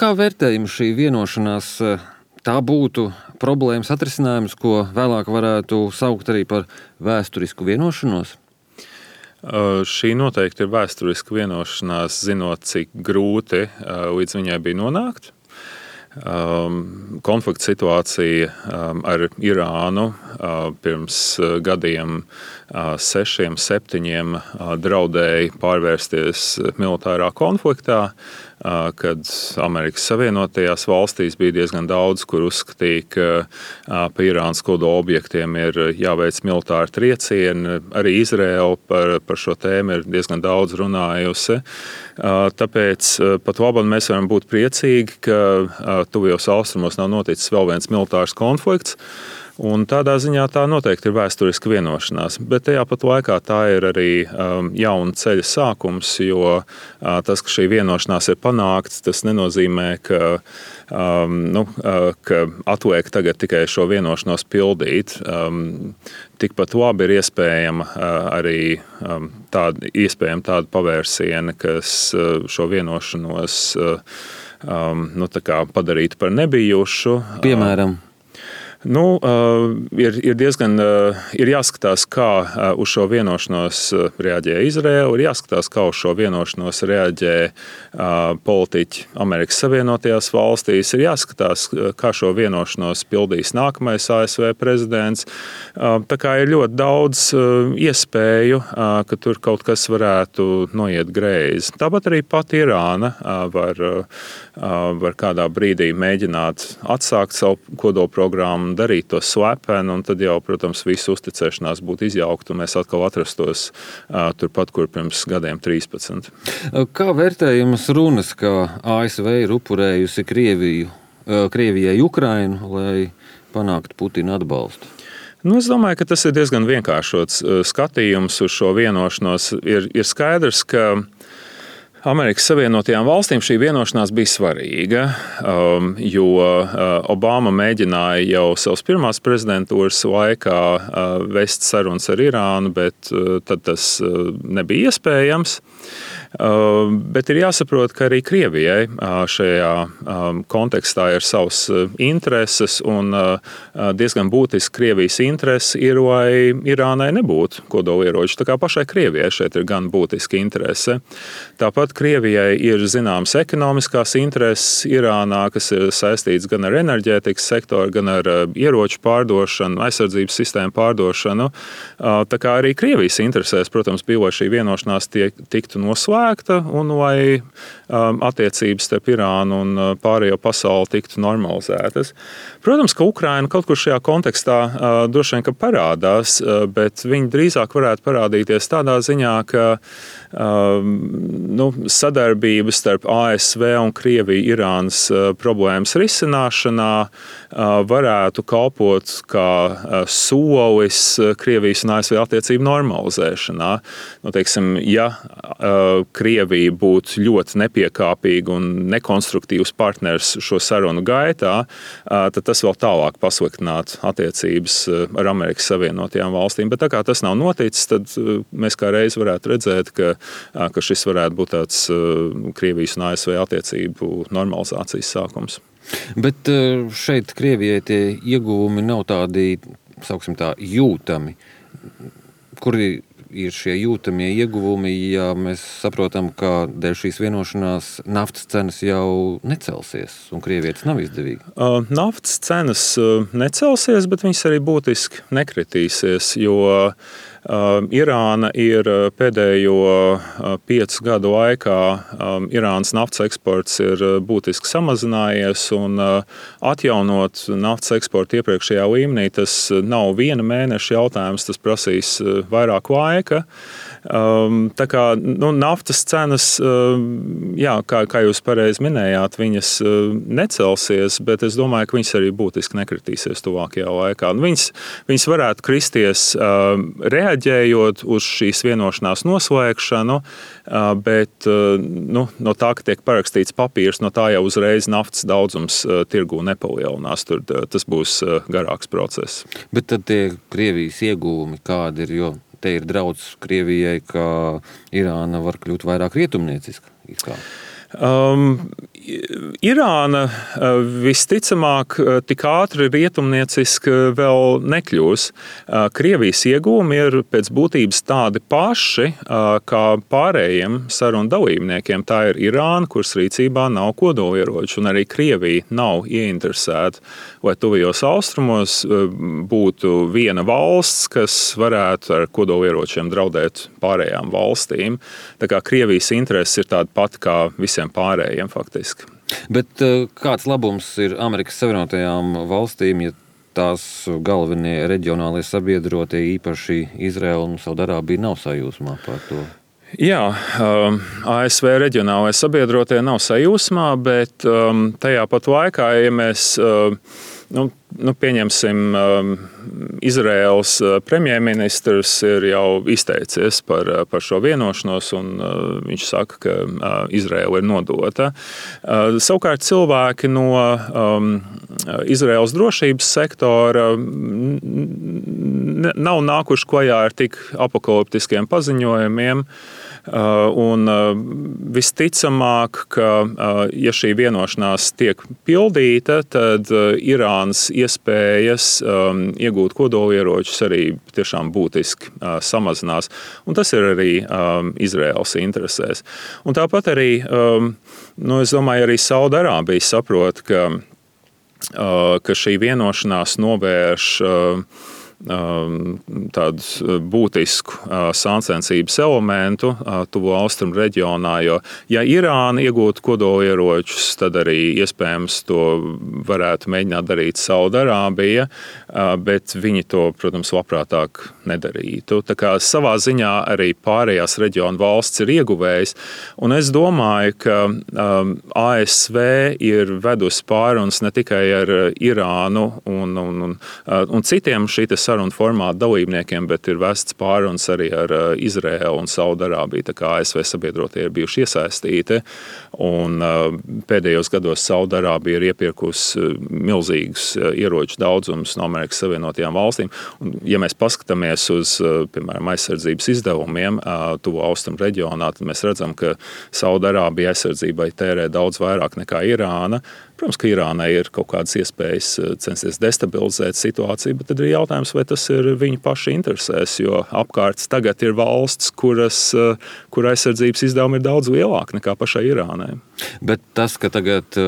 Kā vērtējama šī vienošanās? Tā būtu problēmas atrisinājums, ko vēlāk varētu saukt arī par vēsturisku vienošanos? Šī noteikti ir vēsturiska vienošanās, zinot, cik grūti līdz viņai bija nonākt. Konflikta situācija ar Irānu pirms gadiem 6, 7 draudēja pārvērsties militārā konfliktā, kad Amerikas Savienotajās valstīs bija diezgan daudz, kur uzskatīja, ka pa Irānas kodola objektiem ir jāveic militāri triecieni. Arī Izraela par šo tēmu ir diezgan daudz runājusi. Tāpēc pat labam mēs varam būt priecīgi, ka tuvajos austrumos nav noticis vēl viens militārs konflikts. Un tādā ziņā tā noteikti ir vēsturiska vienošanās. Bet tajā pat laikā tā ir arī jauna ceļa sākums, jo tas, ka šī vienošanās ir panākts, tas nenozīmē, ka atliek tagad tikai šo vienošanos pildīt. Tikpat labi ir iespējama arī tāda pavērsiena, kas šo vienošanos padarītu par nebijušu. Piemēram? Ir jāskatās, kā uz šo vienošanos reaģē Izraela, ir jāskatās, kā uz šo vienošanos reaģē politiķi Amerikas Savienotajās valstīs, ir jāskatās, kā šo vienošanos pildīs nākamais ASV prezidents. Tā kā ir ļoti daudz iespēju, ka tur kaut kas varētu noiet greizi. Tāpat arī pati Irāna var kādā brīdī mēģināt atsākt savu kodolprogrammu, darīt to slepeni, un tad jau, protams, visu uzticēšanās būtu izjaukta, un mēs atkal atrastos turpat, kur pirms gadiem 13. Kā vērtējamas runas, ka ASV ir upurējusi Krievijai Ukrainu, lai panāktu Putina atbalstu? Es domāju, ka tas ir diezgan vienkāršots skatījums uz šo vienošanos. Ir skaidrs, ka Amerikas Savienotajām valstīm šī vienošanās bija svarīga, jo Obama mēģināja jau savas pirmās prezidentūras laikā vest sarunas ar Irānu, bet tad tas nebija iespējams. Bet ir jāsaprot, ka arī Krievijai šajā kontekstā ir savas intereses, un diezgan būtiski Krievijas interese ir, lai Irānai nebūtu kodolieroči. Tā kā pašai Krievijai šeit ir gan būtiska interese. Tāpat Krievijai ir zināmas ekonomiskās intereses Irānā, kas ir saistīts gan ar enerģētikas sektoru, gan ar ieroču pārdošanu, aizsardzības sistēmu pārdošanu. Tā kā arī Krievijas interesēs, protams, bija, lai šī vienošanās tiktu noslēgta, un lai attiecības starp Irānu un pārējo pasauli tiktu normalizētas. Protams, ka Ukraina kaut kur šajā kontekstā droši vien parādās, bet viņi drīzāk varētu parādīties tādā ziņā, ka sadarbība starp ASV un Krieviju Irānas problēmas risināšanā varētu kalpot kā solis Krievijas un ASV attiecību normalizēšanā. Teiksim, ja Krievija būtu ļoti nepiekāpīga un nekonstruktīvs partners šo sarunu gaitā, tad tas vēl tālāk pasliktinātu attiecības ar Amerikas Savienotajām valstīm. Bet tā kā tas nav noticis, tad mēs kā reiz varētu redzēt, ka šis varētu būt tāds Krievijas un ASV attiecību normalizācijas sākums. Bet šeit Krievijai tie ieguvumi nav tādi, sauksim tā, jūtami. Kuri ir šie jūtamie ieguvumi, ja mēs saprotam, ka dēļ šīs vienošanās naftas cenas jau necelsies, un Krievijai tas nav izdevīgi? Naftas cenas necelsies, bet viņas arī būtiski nekritīsies, jo Irāna ir pēdējo 5 gadu laikā, Irānas naftas eksports ir būtiski samazinājies, un atjaunot naftas eksportu iepriekšējā līmenī, tas nav viena mēneša jautājums, tas prasīs vairāk laika. Tā kā naftas cenas, kā jūs pareizi minējāt, viņas necelsies, bet es domāju, ka viņas arī būtiski nekritīsies tuvākajā laikā. Viņas varētu kristies reaģējot uz šīs vienošanās noslēgšanu, bet no tā, ka tiek parakstīts papīrs, no tā jau uzreiz naftas daudzums tirgū nepalielinās. Tas būs garāks process. Bet tad tie Krievijas ieguvumi kādi ir, jo te ir draudz Krievijai, ka Irāna var kļūt vairāk rietumnieciska? Irāna visticamāk tik ātri rietumnieciska vēl nekļūs. Krievijas iegūmi ir pēc būtības tādi paši kā pārējiem sarunu dalībniekiem. Tā ir Irāna, kuras rīcībā nav kodolieroču, un arī Krievija nav ieinteresēta, lai tuvajos austrumos būtu viena valsts, kas varētu ar kodolieročiem draudēt pārējām valstīm. Tā kā Krievijas intereses ir tāda pati kā visiem pārējiem faktiski. Bet kāds labums ir Amerikas Savienotajām valstīm, ja tās galvenie reģionālie sabiedrotie, īpaši Izraela un Saudarābija, nav sajūsmā par to? Jā, ASV reģionālajie sabiedrotie nav sajūsmā, bet tajā pat laikā, ja mēs pieņemsim, Izraēlas premjerministrs ir jau izteicies par šo vienošanos, un viņš saka, ka Izraēla ir nodota. Savukārt cilvēki no Izraēlas drošības sektora nav nākuši klajā ar tik apokaliptiskiem paziņojumiem. Un visticamāk, ka ja šī vienošanās tiek pildīta, tad Irānas iespējas iegūt kodolieročus arī tiešām būtiski samazinās. Un tas ir arī Izraēlas interesēs. Un tāpat arī, es domāju, arī Saudarābija saprot, ka šī vienošanās novērš tādu būtisku sāncensības elementu tuvo austrumu reģionā, jo ja Irāna iegūtu kodolieročus, tad arī iespējams to varētu mēģināt darīt Saudarābija, bet viņi to, protams, labprātāk nedarītu. Tā kā savā ziņā arī pārējās reģionu valsts ir ieguvējis, un es domāju, ka ASV ir vedusi pārunas ne tikai ar Irānu un citiem šī sarunu formātu dalībniekiem, bet ir vests pārunas arī ar Izraēlu un Saudarābiju. Tā kā ASV sabiedrotie ir bijuši iesaistīti, un pēdējos gados Saudarābija ir iepirkusi milzīgus ieroču daudzumus no Amerikas Savienotajām valstīm. Un, ja mēs paskatāmies uz, piemēram, aizsardzības izdevumiem tuvo austrumu reģionā, tad mēs redzam, ka Saudarābija aizsardzībai tērē daudz vairāk nekā Irāna. Protams, ka Irānai ir kaut kādas iespējas censties destabilizēt situāciju, bet tad ir jautājums, vai tas ir viņu pašu interesēs, jo apkārt tagad ir valsts, kur aizsardzības izdevumi ir daudz lielāki nekā pašai Irānai. Bet tas, ka tagad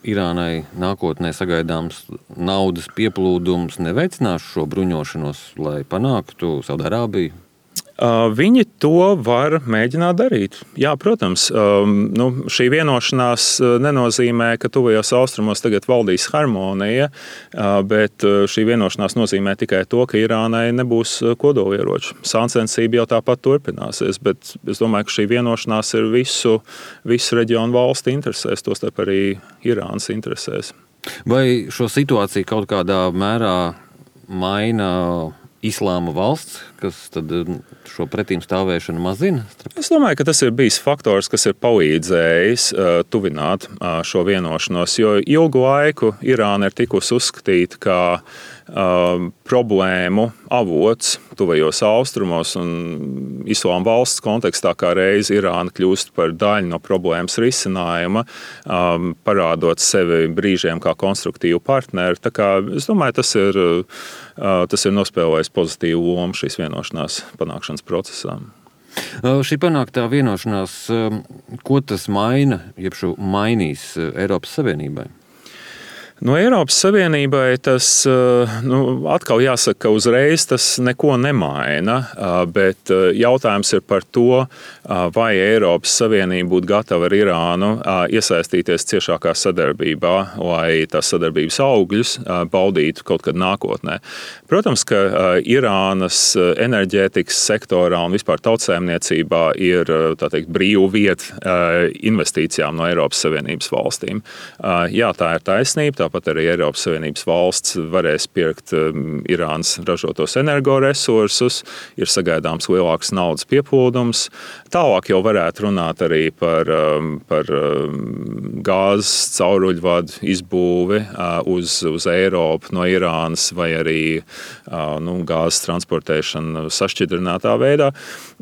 Irānai nākotnē sagaidāms naudas pieplūdums, neveicinās šo bruņošanos, lai panāktu Saudarābiju? Viņi to var mēģināt darīt. Jā, protams, šī vienošanās nenozīmē, ka tuvajos austrumos tagad valdīs harmonija, bet šī vienošanās nozīmē tikai to, ka Irānai nebūs kodolieroču. Sāncensība jau tāpat turpināsies, bet es domāju, ka šī vienošanās ir visu reģionu valstu interesēs, tostarp arī Irānas interesēs. Vai šo situāciju kaut kādā mērā maina Islāma valsts, kas tad šo pretīm stāvēšanu mazina? Es domāju, ka tas ir bijis faktors, kas ir palīdzējis tuvināt šo vienošanos, jo ilgu laiku Irāna ir tikusi uzskatīta kā problēmu avots tuvajos austrumos, un Islāma valsts kontekstā kā reiz Irāna kļūst par daļu no problēmas risinājuma, parādot sevi brīžiem kā konstruktīvu partneri. Tā kā es domāju, tas ir nospēlējis pozitīvu lomu šīs vienošanās panākšanas procesā. Šī panāktā vienošanās, ko tas maina, jeb šo mainīs Eiropas Savienībai? No Eiropas Savienībai tas atkal jāsaka, ka uzreiz tas neko nemaina, bet jautājums ir par to, vai Eiropas Savienība būtu gatava ar Irānu iesaistīties ciešākā sadarbībā, lai tās sadarbības augļus baudītu kaut kad nākotnē. Protams, ka Irānas enerģētikas sektorā un vispār tautsēmniecībā ir, tā teikt, brīva vieta investīcijām no Eiropas Savienības valstīm. Jā, tā ir taisnība. Tāpat arī Eiropas Savienības valsts varēs pirkt Irānas ražotos energoresursus, ir sagaidāms lielāks naudas pieplūdums. Tālāk jau varētu runāt arī par gāzes cauruļvadu izbūvi uz Eiropu no Irānas vai arī gāzes transportēšanu sašķidrinātā veidā.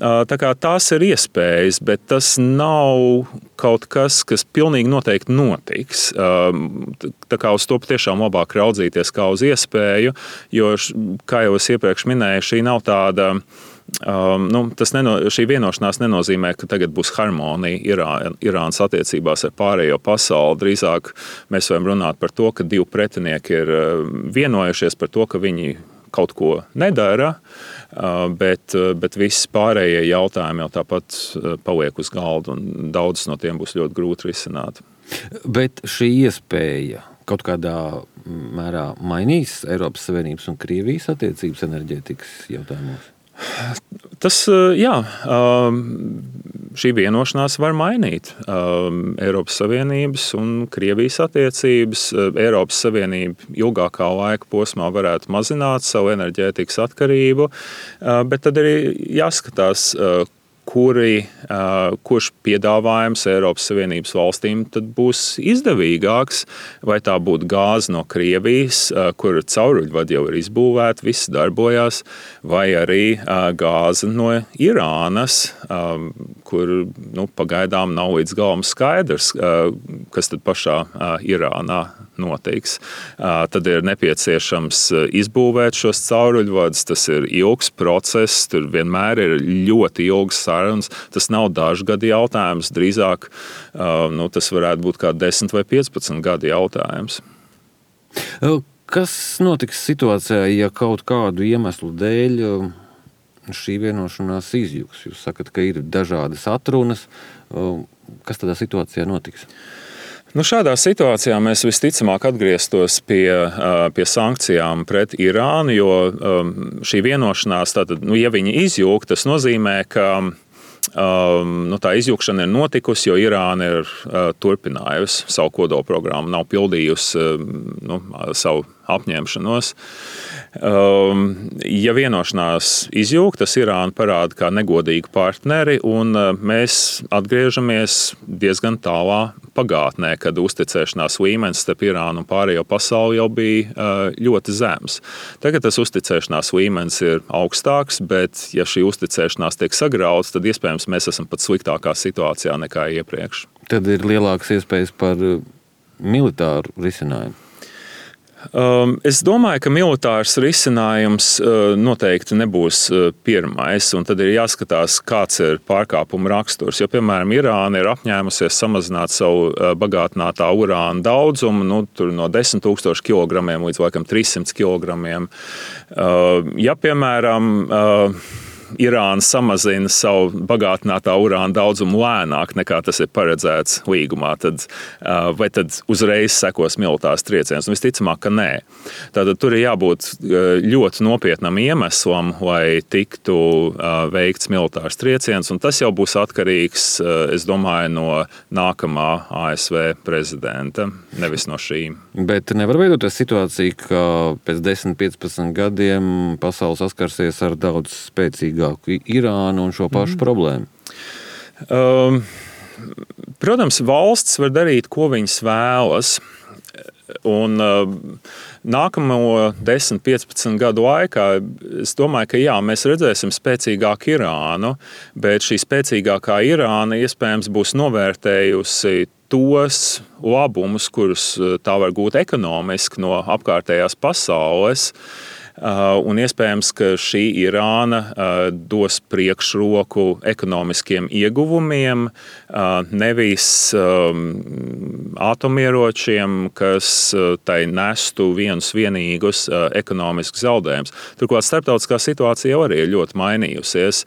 Tā kā tās ir iespējas, bet tas nav kaut kas, kas pilnīgi noteikti notiks. Tā kā uz to patiešām labāk raudzīties kā uz iespēju, jo, kā jau es iepriekš minēju, šī nav tāda. Šī vienošanās nenozīmē, ka tagad būs harmonija Irānas attiecībās ar pārējo pasauli. Drīzāk mēs varam runāt par to, ka divi pretinieki ir vienojušies par to, ka viņi kaut ko nedara, bet visi pārējie jautājumi jau tāpat paliek uz galda, un daudzus no tiem būs ļoti grūti risināt. Bet šī iespēja kaut kādā mērā mainīs Eiropas Savienības un Krievijas attiecības enerģētikas jautājumos? Tas, jā, šī vienošanās var mainīt Eiropas Savienības un Krievijas attiecības. Eiropas Savienība ilgākā laika posmā varētu mazināt savu enerģētikas atkarību, bet tad arī jāskatās, kurš piedāvājums Eiropas Savienības valstīm tad būs izdevīgāks, vai tā būtu gāze no Krievijas, kur cauruļvadi jau ir izbūvēti, viss darbojās, vai arī gāze no Irānas, kur pagaidām nav līdz galam skaidrs, kas tad pašā Irānā notiks. Tad ir nepieciešams izbūvēt šos cauruļvadus, tas ir ilgs process, tur vienmēr ir ļoti ilgs sarunas. Tas nav dažu gadu jautājums, drīzāk tas varētu būt kā 10 vai 15 gadu jautājums. Kas notiks situācijā, ja kaut kādu iemeslu dēļ šī vienošanās izjūgs? Jūs sakat, ka ir dažādas atrunas. Kas tādā situācijā notiks? Šādā situācijā mēs visticamāk atgrieztos pie sankcijām pret Irānu, jo šī vienošanās, tātad, ja viņi izjūg, tas nozīmē, ka tā izjūgšana ir notikusi, jo Irāna ir turpinājusi savu kodolprogrammu, nav pildījusi savu apņemšanos. Ja vienošanās izjūg, tas Irāna parāda kā negodīgu partneri, un mēs atgriežamies diezgan tālā pagātnē, kad uzticēšanās līmenis starp Irānu un pārējo pasauli jau bija ļoti zems. Tagad tas uzticēšanās līmenis ir augstāks, bet ja šī uzticēšanās tiek sagrauts, tad iespējams mēs esam pat sliktākā situācijā nekā iepriekš. Tad ir lielākas iespējas par militāru risinājumu. Es domāju, ka militārs risinājums noteikti nebūs pirmais, un tad ir jāskatās, kāds ir pārkāpuma raksturs. Jo, piemēram, Irāna ir apņēmusies samazināt savu bagātinātā urāna daudzumu no 10 000 kilogramiem līdz laikam 300 kilogramiem. Ja, piemēram, Irāna samazina savu bagātinātā urāna daudzumu lēnāk nekā tas ir paredzēts līgumā, vai tad uzreiz sekos militārs trieciens? Visticamāk, ka nē. Tātad tur ir jābūt ļoti nopietnam iemeslam, lai tiktu veikts militārs trieciens, un tas jau būs atkarīgs, es domāju, no nākamā ASV prezidenta, nevis no šīm. Bet nevar veidoties situācija, ka pēc 10-15 gadiem pasaule saskarsies ar daudz spēcīgāku Irānu un šo pašu problēmu? Protams, valsts var darīt, ko viņas vēlas. Un nākamo 10-15 gadu laikā es domāju, ka jā, mēs redzēsim spēcīgāku Irānu, bet šī spēcīgākā Irāna iespējams būs novērtējusi tos labumus, kurus tā var gūt ekonomiski no apkārtējās pasaules. Un iespējams, ka šī Irāna dos priekšroku ekonomiskiem ieguvumiem, nevis atomieročiem, kas tai nestu vienus vienīgus ekonomiskus zaudējumus. Turklāt starptautiskā situācija jau arī ir ļoti mainījusies.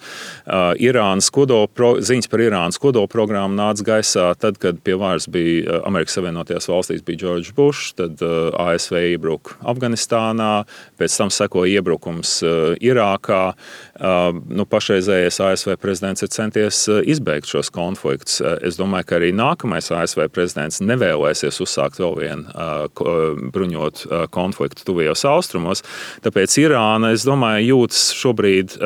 Ziņas par Irānas kodolprogrammu nāca gaisā tad, kad pie varas bija Amerikas Savienotajās valstīs bija George Bush, tad ASV iebruka Afganistānā, pēc tam sekoja iebrukums Irākā. Pašreizējais ASV prezidents ir centies izbeigt šos konfliktus. Es domāju, ka arī nākamais ASV prezidents nevēlēsies uzsākt vēl vienu bruņotu konfliktu tuvajos austrumos. Tāpēc Irāna, es domāju, jūtas šobrīd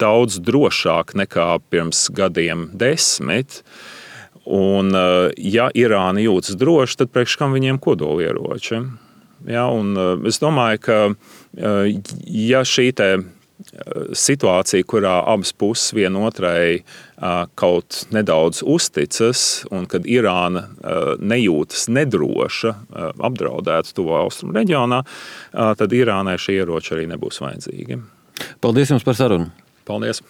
daudz drošāk nekā pirms gadiem 10. Un, ja Irāna jūtas droši, tad priekš kam viņiem kodolieroči? Ja, un es domāju, ka ja šī situācija, kurā abas puses vienotrai kaut nedaudz uzticas, un kad Irāna nejūtas nedroša, apdraudēta Tuvo Austrumu reģionā, tad Irānai šie ieroči arī nebūs vajadzīgi. Paldies jums par sarunu! Paldies!